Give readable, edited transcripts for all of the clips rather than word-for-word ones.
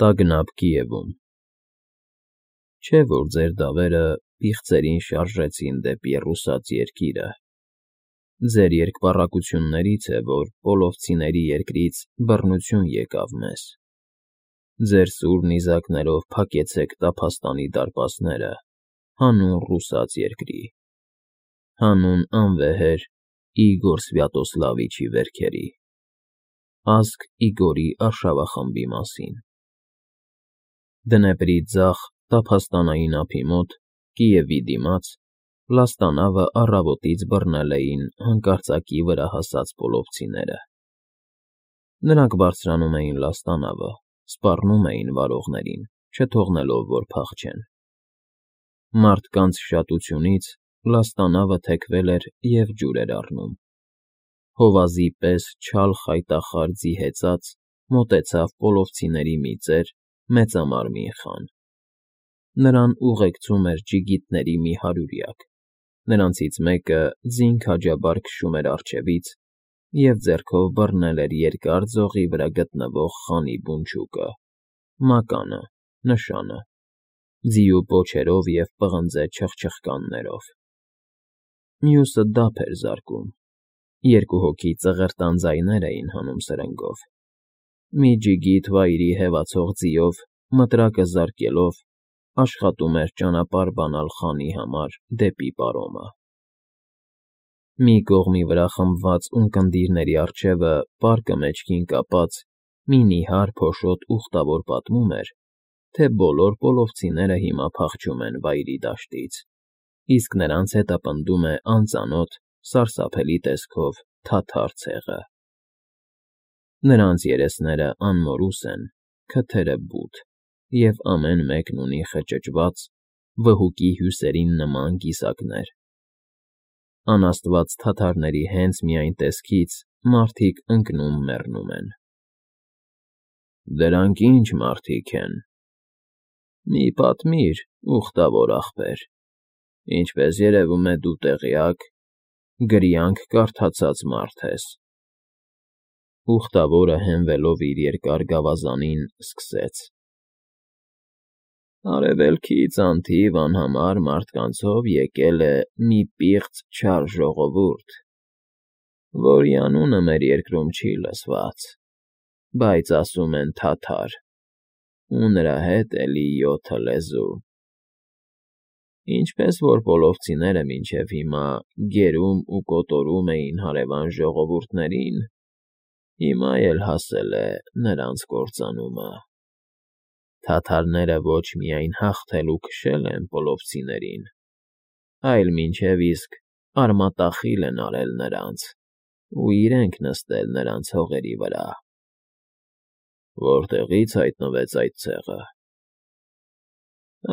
Տագնապ Կիևում։ Չէ՞ որ ձեր դավերը պիղծերին շարժեցին դեպի ռուսաց երկիրը, ձեր երկպառակություններից է, որ պոլովցիների երկրից բռնություն եկավ մեզ, ձեր սուր նիզակներով փակեցեք տափաստանի դարպասները հանուն ռուսաց երկրի, հանուն անվեհեր Իգոր Սվյատոսլավիչի վերքերի, ազգ Իգորի արշավախմբի մասին։ Դնեպրի ձախ տափաստանային ափի մոտ, Կիևի դիմաց, Լաստանավը առավոտից բռնել էին հանկարծակի վրա հասած պոլովցիները։ Նրանք բարձրանում էին Լաստանավը, սպառնում էին վարողներին, չթողնելով, որ փախչեն։ Մարդկանց շատությունից Լաստանավը թեքվել էր և ջուր էր առնում։ Հովազի պես չալ խայտախար ձիհեծած մոտեցավ պոլովցիների մի ծեր, մեծամարմին խան։ Նրան ուղեկցում էր ջիգիտների մի հարյուրյակ, նրանցից մեկը ձին քաջաբար քշում էր առջևից և ձեռքով բռնել էր երկար ձողի վրա գտնվող խանի բունչուկը, մականը, նշանը, ձիու պոչերով և պղնձե չխչխկաններով։ Մյուսը դափ էր զարկում, երկու հոգի ծղրտան ձայներ էին հանում սրնգով։ Մի ջիգիտ վայրի հևացող ձիով, մտրակը զարկելով, աշխատում էր ճանապարհ բանալ խանի համար դեպի պարոմը։ Մի կողմի վրա խմբված ունկնդիրների առջևը, պարկը մեջքին կապած, մի նիհար փոշոտ ուխտավոր պատմում էր, թե բոլոր պոլովցիները հիմա փախչում են վայրի դաշտից, իսկ նրանց հետը պնդում է անծանոթ, սարսափելի տեսքով թաթար ցեղը։ Նրանց երեսները անմորուս են, քթերը բութ, և ամեն մեկն ունի խճճված, վհուկի հյուսերին նման կիսակներ։ Անաստված թաթարների հենց միայն տեսքից մարդիկ ընկնում֊մեռնում են։ Դրանք ի՞նչ մարդիկ են։ Մի պատմիր, ուխտավոր ախպեր, ինչպես երևում է դու տեղյակ, գրյանք կարդացած մարդ ես։ Ուխտավորը հենվելով իր երկար գավազանին, սկսեց. Արևելքից անթիվ անհամար մարդկանցով եկել է մի պիղծ չար ժողովուրդ, որի անունը մեր երկրում չի լսված, բայց ասում են թաթար, ու նրա հետ էլի 7 լեզու։ Ինչպես որ պոլովցիները մինչև հիմա գերում ու կոտորում էին հարևան ժողովուրդներին, հիմա էլ հասել է նրանց կործանումը։ Թաթարները ոչ միայն հաղթել ու քշել են պոլովցիներին, այլ մինչև իսկ արմատախիլ են արել նրանց ու իրենք նստել նրանց հողերի վրա։ Որտեղի՞ց հայտնվեց այդ ցեղը։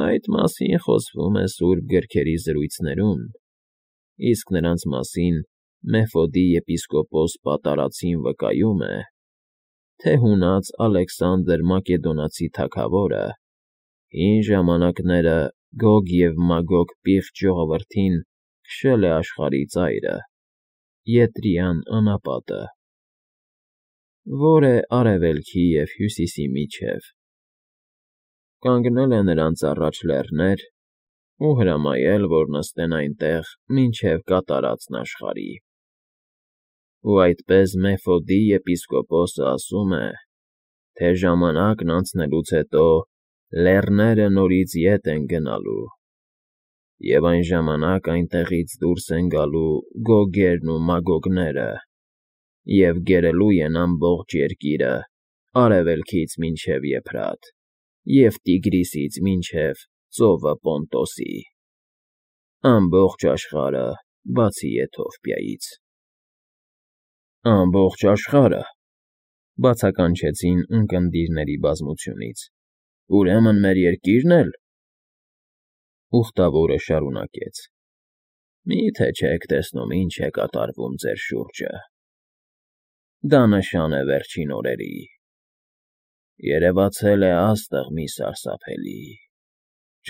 Այդ մասին խոսվում է սուրբ գրքերի զրույցներում, իսկ նրանց մասին Մեֆոդի եպիսկոպոս Պատարացին վկայում է, թե հունած Ալեքսանդր Մակեդոնացի թագավորը հին ժամանակները Գոգ և Մագոգ պիղծ ժողովրդին քշել է աշխարհի ծայրը, Ետրիան անապատը, որ է արևելքի և հյուսիսի միջև, կանգնել է նրանց առաջ լեռներ ու հրամայել, որ նստեն այնտեղ մինչև կատարածն աշխարհի։ Ու այդպես Մեֆոդի եպիսկոպոսը ասում է, թե ժամանակն անցնելուց հետո լեռները նորից ետ են գնալու, և այն ժամանակ այնտեղից դուրս են գալու Գոգերն ու Մագոգները և գերելու են ամբողջ երկիրը արևելքից մինչև Եփրատ և Տիգրիսից մինչև ծովը Պոնտոսի, ամբողջ աշխարհը, բացի Եթովպիայից։ Ամբողջ աշխարհը, բացականչեցին ունկնդիրների բազմությունից, ուրեմն մեր երկի՞րն էլ։ Ուխտավորը շարունակեց. Մի՞թե չեք տեսնում ինչ է կատարվում ձեր շուրջը։ Դա նշան է վերջին օրերի։ Երևացել է աստղ մի սարսափելի։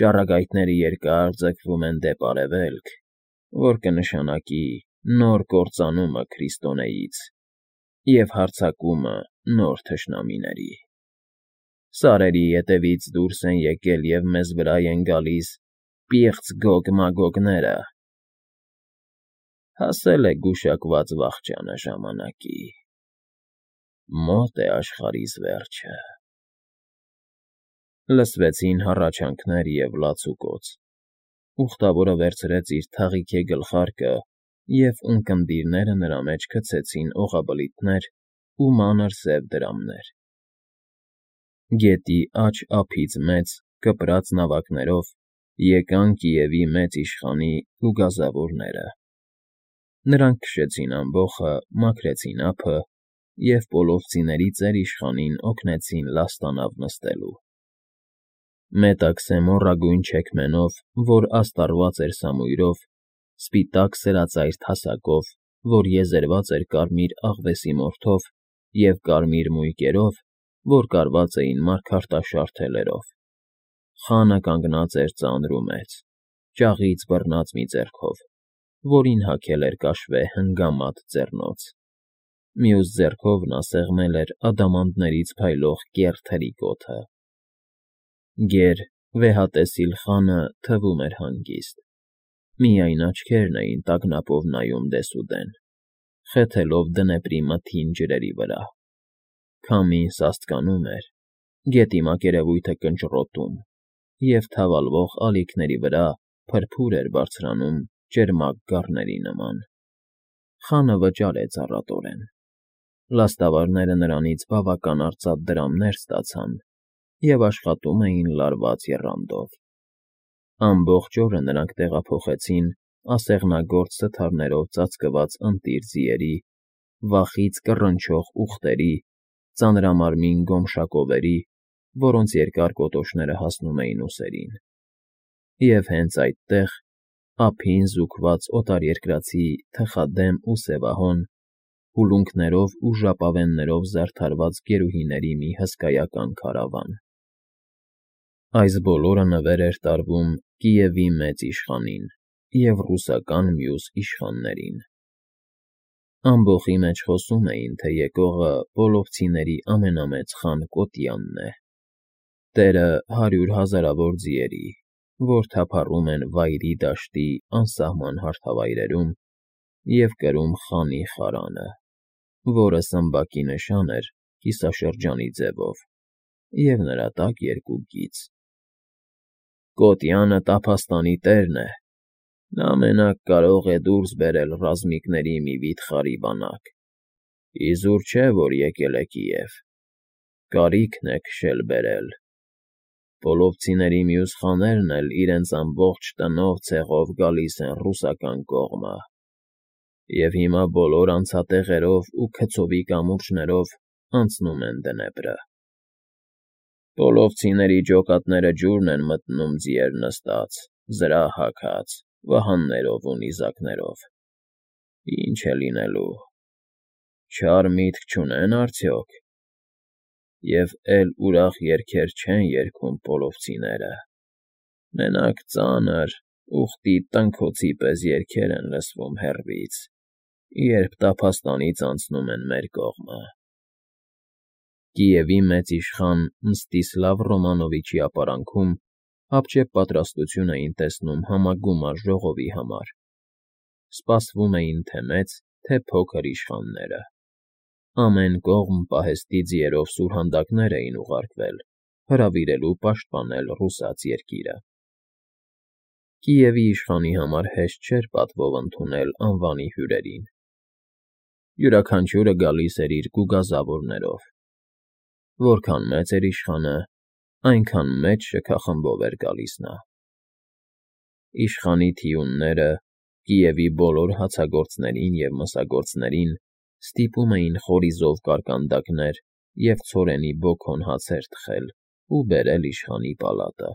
Ճառագայթները երկար ձգվում են դեպ արևելք, որ կնշանակի նոր կործանումը Քրիստոնեից և հարձակումը նոր թշնամիների։ Սարերի ետևից դուրս են եկել և մեզ վրա են գալիս պիղծ գոգ-մագոգները։ Հասել է գուշակված վախճանը ժամանակի, մոտ է աշխարհիս վերջը։ Լսվեցին հառաչանքներ և լացուկոծ։ Ուխտավորը վերցրեց իր թաղիքե գլխարկը, և ունկնդիրները նրա մեջ գցեցին օղաբլիթներ ու մանր սև դրամներ։ Գետի աջ ափից մեծ, կպրած նավակներով եկան Կիևի մեծ իշխանի գուգազավորները։ Նրանք քշեցին ամբոխը, մաքրեցին ափը և պոլովցիների ծեր-իշխանին օգնեցին լաստանավ նստելու։ Մետաքսե մոռագույն չեքմենով, որ աստառված էր սամույրով, սպիտակ սրածայր թասակով, որ եզերված էր կարմիր աղվեսի մորթով, և կարմիր մույկերով, որ կարված էին մարգարտաշար թելերով։ Խանը կանգնած էր ծանր ու մեծ, ճաղից բռնած մի ձեռքով, որին հագել էր կաշվե հնգամատ ձեռնոց։ Մյուս ձեռքով նա սեղմել էր ադամանդներից փայլող կեռ թրիկոթը։ Գեր, վեհատեսիլ խանը թվում էր հանգիստ, միայն աչքերն էին տագնապով նայում դեսուդեն, խեթելով դնեպրի մթին ջրերի վրա։ Քամին սաստկանում էր, գետի մակերևույթը կնճռոտում, և թավալվող ալիքների վրա փրփուր էր բարձրանում ճերմակ գառների նման։ Խանը վճարեց առատորեն։ Լաստավարները նրանից բավական արծաթ դրամներ ստացան և աշխատում էին լարված եռանդով։ Ամբողջ օրը նրանք տեղափոխեցին ասեղնագործ սթարներով ծածկված ընտիր ձիերի, վախից կռնչող ուղտերի, ծանրամարմին գոմշակովերի, որոնց երկար կոտոշները հասնում էին ուսերին։ Եվ հենց այդտեղ, ափին զուգված օտարերկրացի թխադեմ ու սևահոն, հուլունքներով ու ժապավեններով զարդարված գերուհիների մի հսկայական քարավան։ Այս բոլորը նվեր էր տարվում Կիևի մեծ իշխանին և ռուսական մյուս իշխաններին։ Ամբոխի մեջ խոսում էին, թե եկողը պոլովցիների ամենամեծ խան Կոտյանն է, տերը 100 հազարավոր ձիերի, որ թափառում են Վայրի դաշտի անսահման հարթավայրերում և կրում խանի խարանը, որը Սմբակի նշան էր կիսաշրջանի ձևով, և նրա տակ երկու գիծ։ Կոտյանը տափաստանի տերն է, նա մենակ կարող է դուրս բերել ռազմիկների մի վիթխարի բանակ, իզուր չէ, որ եկել է Կիև, կարիքն է քշել֊բերել։ Պոլովցիների մյուս խաներն էլ իրենց ամբողջ տնով ցեղով գալիս են ռուսական կողմը, և հիմա բոլոր անցատեղերով ու քցովի կամուրջներով անցնում են Դնեպրը։ Պոլովցիների ջոկատները ջուրն են մտնում ձիեր նստած, զրահ հագած, վահաններով ու նիզակներով։ Ինչ է լինելու, չար միտք չունեն արդյոք, և էլ ուրախ երգեր չեն երգում պոլովցիները, մենակ ծանր, ուխտի տնքոցի պես երգեր են լսվում հեռվից, երբ տափաստանից անցնում են մեր կողմը։ Կիևի մեծ իշխան Մստիսլավ Ռոմանովիչի ապարանքում հապճեպ պատրաստություն էին տեսնում համագումար ժողովի համար։ Սպասվում էին թե մեծ, թե փոքր իշխանները։ Ամեն կողմ պահեստի ձիերով սուրհանդակներ էին ուղարկվել, հրավիրելու պաշտպանել ռուսաց երկիրը։ Կիևի իշխանի համար հեշտ չէր պատվով ընդունել անվանի հյուրերին։ Յուրաքանչյուրը գալիս էր իր գուգազավորներով։ Որքան մեծ էր իշխանը, այնքան մեծ շքախմբով էր գալիս նա։ Իշխանի թիունները Կիևի բոլոր հացագործներին և մսագործներին ստիպում էին խորիզով կարկանդակներ և ցորենի բոքոն հացեր թխել ու բերել իշխանի պալատը։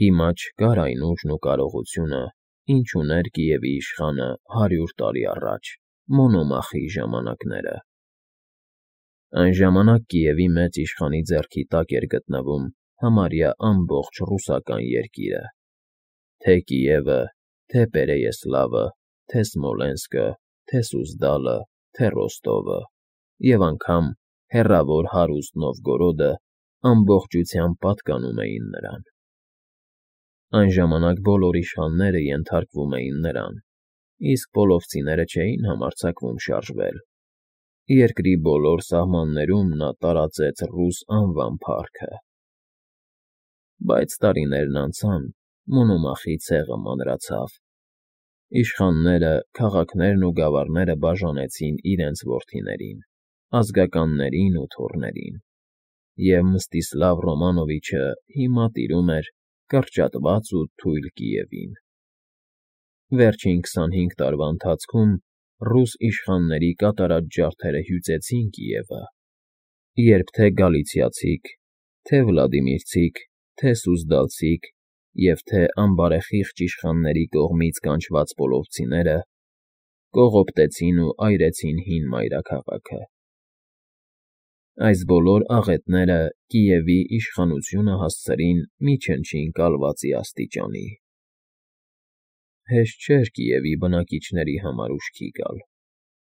Հիմա չկար այն ուժն ու կարողությունը, ինչ ուներ Կիևի իշխանը 100 տարի առաջ, Մոնոմախի ժամանակները։ Այն ժամանակ Կիևի մեծ իշխանի ձեռքի տակ էր գտնվում համարյա ամբողջ ռուսական երկիրը, թե Կիևը, թե Պերեյեսլավը, թե Սմոլենսկը, թե Սուզդալը, թե Ռոստովը, և անգամ հեռավոր հարուստ Նովգորոդը ամբողջությամբ պատկանում էին նրան։ Այն ժամանակ բոլոր իշխանները ենթարկվում էին նրան, իսկ պոլովցիները չէին համարձակվում շարժվել։ Երկրի բոլոր սահմաններում նա տարածեց ռուս անվան փառքը։ Բայց տարիներն անցան, Մոնոմախի ցեղը մանրացավ։ Իշխանները, քաղաքներն ու գավառները բաժանեցին իրենց որդիներին, ազգականներին ու թոռներին, և Մստիսլավ Ռոմանովիչը հիմա տիրում էր կրճատված ու թույլ Կիևին։ Վերջին 25 տարվա ընթացքում ռուս իշխանների կատարած ջարդերը հյուծեցին Կիևը, երբ թե գալիցիացիք, թե վլադիմիրցիք, թե սուզդալցիք և թե անբարեխիղճ իշխանների կողմից կանչված պոլովցիները կողոպտեցին ու այրեցին հին մայրաքաղաքը։ Այս բոլոր աղետները Կիևի իշխանությունը հասցրին մի չնչին կալվածի աստիճանի։ Հեշտ չէր Կիևի բնակիչների համար ուշքի գալ,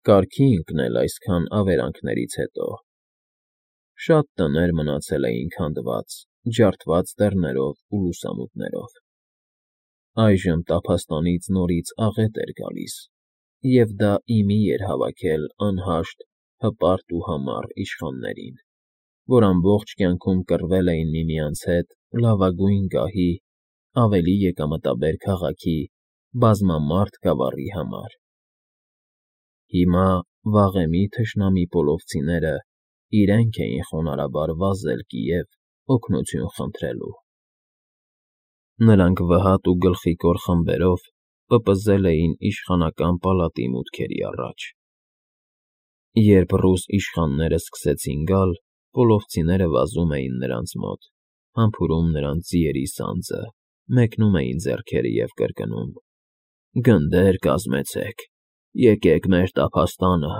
կարգի ընկնել այսքան ավերանքներից հետո։ Շատ տներ մնացել էին քանդված, ջարդված դռներով ու լուսամուտներով։ Այժմ տափաստանից նորից աղետ էր գալիս, և դա ի մի էր հավաքել անհաշտ, հպարտ ու համառ իշխաններին, որ ամբողջ կյանքում կռվել էին միմյանց հետ լավագույն գահի, ավելի եկամտաբեր քաղաքի, բազմամարդ գավառի համար։ Հիմա վաղեմի թշնամի պոլովցիները իրենք էին խոնարհաբար վազել Կիև օգնություն խնդրելու։ Նրանք վհատ ու գլխիկոր խմբերով պպզել էին իշխանական պալատի մուտքերի առաջ։ Երբ ռուս իշխանները սկսեցին գալ, պոլովցիները վազում էին նրանց մոտ, համբուրում նրանց ձիերի սանձը, մեկնում էին ձեռքերը և կրկնում. «Գնդեր կազմեցեք, եկեք մեր տափաստանը,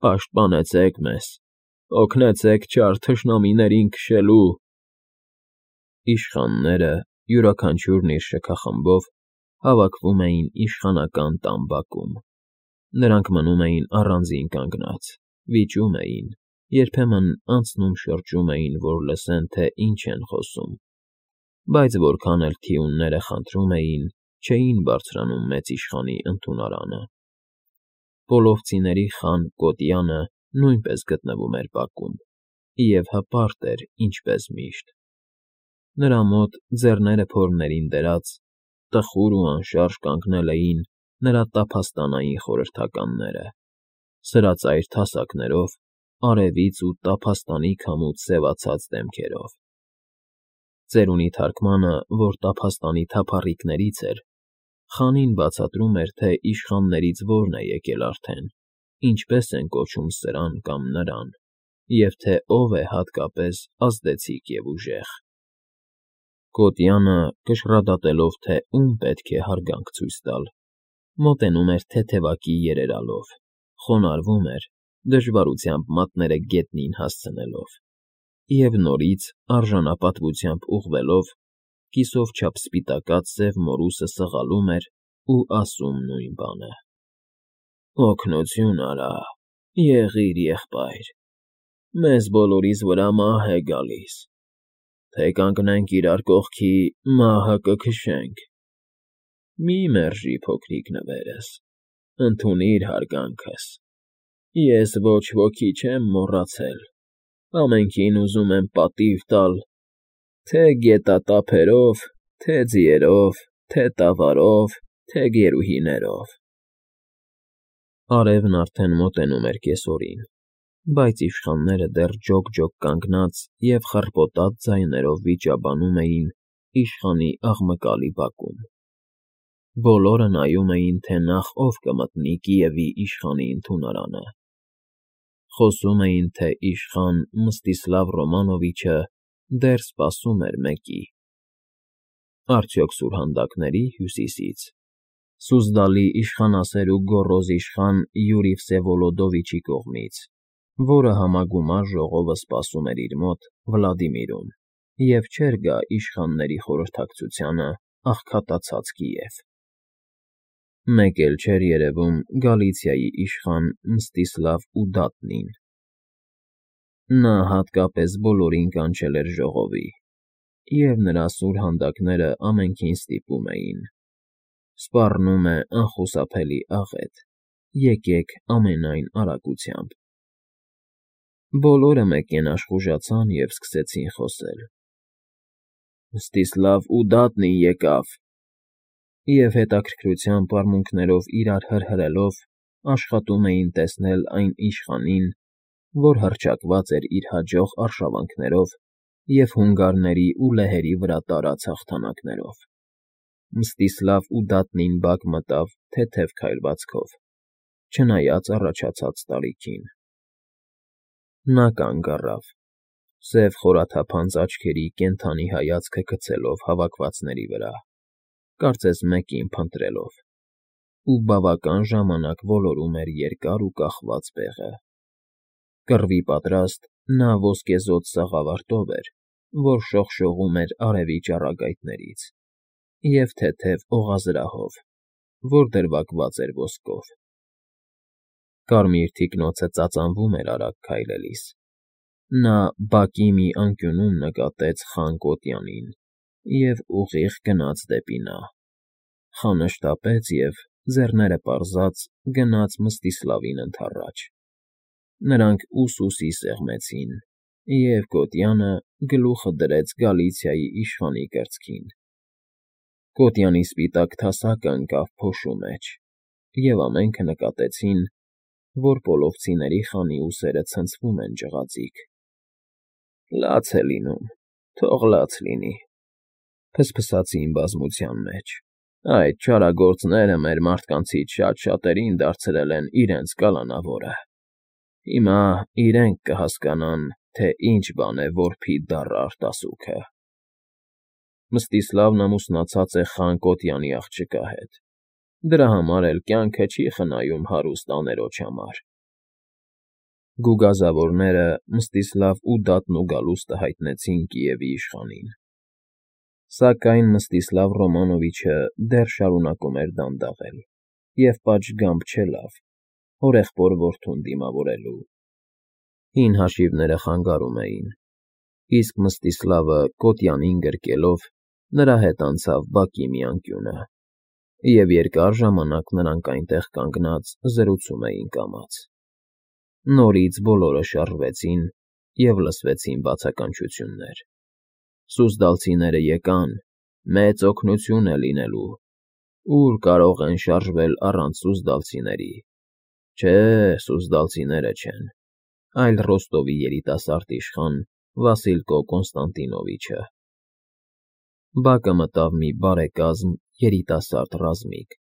պաշտպանեցեք մեզ, օգնեցեք չար թշնամիներին քշելու»։ Իշխանները, յուրաքանչյուրն իր շքախմբով, հավաքվում էին իշխանական տան բակում։ Նրանք մնում էին առանձին կանգնած, վիճում էին, երբեմն անցնում շրջում էին, որ լսեն, թե ինչ են խոսում, բայց որքան էլ թիունները խնդրում էին, չէին բարձրանում մեծ իշխանի ընդունարանը։ Պոլովցիների խան Կոտյանը նույնպես գտնվում էր բակում և հպարտ էր, ինչպես միշտ։ Նրա մոտ, ձեռները փորներին դրած, տխուր ու անշարժ կանգնել էին նրա տափաստանային խորհրդականները, սրածայր թասակներով, արևից ու տափաստանի քամուց սևացած դեմքերով։ Ծերունի թարգմանը, որ տափաստանի թափառիկներից էր, խանին բացատրում էր, թե իշխաններից որն է եկել արդեն, ինչպես են կոչում սրան կամ նրան, և թե ով է հատկապես ազդեցիկ և ուժեղ։ Կոտյանը, կշռադատելով, թե ում պետք է հարգանք ցույց տալ, մոտենում էր թեթևակի երերալով, խոնարհվում էր, դժվարությամբ մատները գետնին հասցնելով, և նորից, արժանապատվությամբ ուղղվելով, կիսով չափ սպիտակած սև մորուսը սղալում էր ու ասում նույն բանը. «Օգնություն արա, եղիր եղբայր, մեզ բոլորիս վրա մահ է գալիս, թե կանգնենք իրար կողքի, մահը կքշենք։ Մի մերժի փոքրիկ նվերս, ընդունիր հարգանքս, ես ոչ ոքի չեմ մոռացել, ամենքին ուզում եմ պատիվ տալ, թե գետատափերով, թե ձիերով, թե տավարով, թե գերուհիներով»։ Արևն արդեն մոտենում էր կեսօրին, բայց իշխանները դեռ ջոկ-ջոկ կանգնած և խռպոտած ձայներով վիճաբանում էին իշխանի աղմկալի բակում։ Բոլորը նայում էին, թե նախ ով կմտնի Կիևի իշխանի ընդունարանը։ Խոսում էին, թե իշխան Մստիսլավ Ռոմանովիչը դեռ սպասում էր մեկի։ Արդյոք սուրհանդակների՝ հյուսիսից, Սուզդալի իշխանասեր ու գոռոզ իշխան Յուրի Վսևոլոդովիչի կողմից, որը համագումար ժողովը սպասում էր իր մոտ՝ Վլադիմիրում, և չէր գա իշխանների խորհրդակցությանը աղքատացած Կիև։ Մեկ էլ չէր երևում Գալիցիայի իշխան Մստիսլավ Ուդատնին։ Նա հատկապես բոլորին կանչել էր ժողովի, և նրա սուր հանդակները ամենքին ստիպում էին. «Սպառնում է անխուսափելի աղետ, եկեք ամենայն արագությամբ»։ Բոլորը մեկենաշ խուժացան և սկսեցին խոսել. «Մստիսլավ ու Դատն եկավ», և հետաքրքրությամբ արմունկներով իրար հրհրելով աշխատում էին տեսնել այն իշխանին, որ հռչակված էր իր հաջող արշավանքներով և հունգարների ու լեհերի վրա տարած հաղթանակներով։ Մստիսլավ ու Դատնին բակ մտավ թեթև քայլվածքով, չնայած առաջացած տարիքին։ Նա կանգ առավ, սև խորաթափանց աչքերի կենդանի հայացքը գցելով հավաքվածների վրա, կարծես մեկին փնտրելով, ու բավական ժամանակ ոլորում էր երկար ու կախված բեղը։ Կռվի պատրաստ, նա ոսկեզօծ սաղավարտով էր, որ շողշողում էր արևի ճառագայթներից, և թեթև օղազրահով, որ դրվագված էր ոսկով։ Կարմիր թիկնոցը ծածանվում էր արագ քայլելիս։ Նա բակի մի անկյունում նկատեց խան Կոտյանին և ուղիղ գնաց դեպի նա, խանը շտապեց և, ձեռները պարզած, գնաց Մստիսլավին ընդառաջ։ Նրանք ուսուսի սեղմեցին, և Կոտյանը գլուխը դրեց Գալիցիայի իշխանի կրծքին։ Կոտյանի սպիտակ թասակը ընկավ փոշու մեջ, և ամենքը նկատեցին, որ պոլովցիների խանի ուսերը ցնցվում են ջղաձիգ։ «Լաց է լինում, թող լաց լինի», ֆսֆսացին բազմության մեջ։ «Այդ չարագործները մեր մարդկանցից շատ֊շատերին դարձրել են իրենց կալանավորը։ Հիմա իրենք կհասկանան, թե ինչ բան է որբի դառը արտասուքը»։ Մստիսլավն ամուսնացած է խան Կոտյանի աղջկա հետ, դրա համար էլ կյանքը չի խնայում հարուստ աներոջ համար։ Գուգազավորները Մստիսլավ ու Դատն ու Գալուստը հայտնեցին Կիևի իշխանին։ Սակայն Մստիսլավ Ռոմանովիչը դեռ շարունակում էր դանդաղել և պատշգամբ չելավ հորեղբոր որդուն դիմավորելու։ Հին հաշիվները խանգարում էին, իսկ Մստիսլավը Կոտյանին գրկելով նրա հետ անցավ բակի մի անկյունը, և երկար ժամանակ նրանք այնտեղ կանգնած զրուցում էին կամաց։ Նորից բոլորը շարժվեցին և լսվեցին բացականչություններ. «Սուզդալցիները եկան, մեծ օգնություն է լինելու։ Ո՞ւր կարող են շարժվել առանց սուզդալցիների։ Չէ, սուզդալցիները չեն, այլ Ռոստովի երիտասարդ իշխան Վասիլկո Կոնստանտինովիչը»։ Բակը մտավ մի բարեկազմ երիտասարդ ռազմիկ,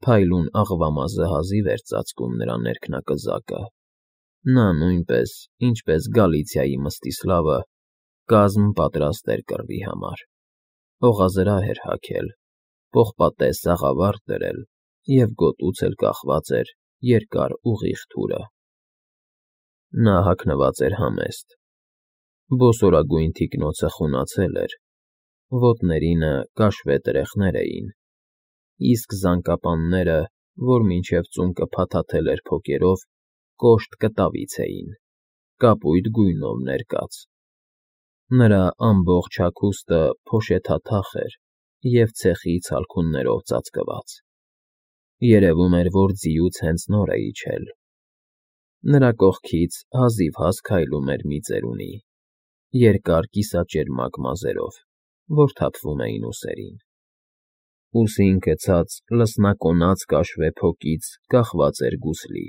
փայլուն աղվամազը հազիվ էր ծածկում նրա ներքնակզակը։ Նա նույնպես, ինչպես Գալիցիայի Մստիսլավը, կազմ պատրաստ էր կռվի համար։ Օղազրահ էր հագել, պողպատե սաղավարտ դրել և գոտուց էլ կախված էր երկար ուղիղ թուրը։ Նա հագնված էր համեստ։ Բոսորագույն թիկնոցը խունացել էր, ոտներինը կաշվե տրեխներ էին, իսկ զանկապանները, որ մինչև ծունկը փաթաթել էր փոկերով, կոշտ կտավից էին, կապույտ գույնով ներկած։ Նրա ամբողջ հագուստը փոշեթաթախ էր և ցեխի ցալքուններով ծածկված։ Երևում էր, որ ձիուց հենց նոր է իջել։ Նրա կողքից հազիվհազ քայլում էր մի ծերունի, երկար կիսաճերմակ մազերով, որ թափվում էին ուսերին։ Ուսին գցած լսնակոնաց կաշվե փոկից կախված էր գուսլի։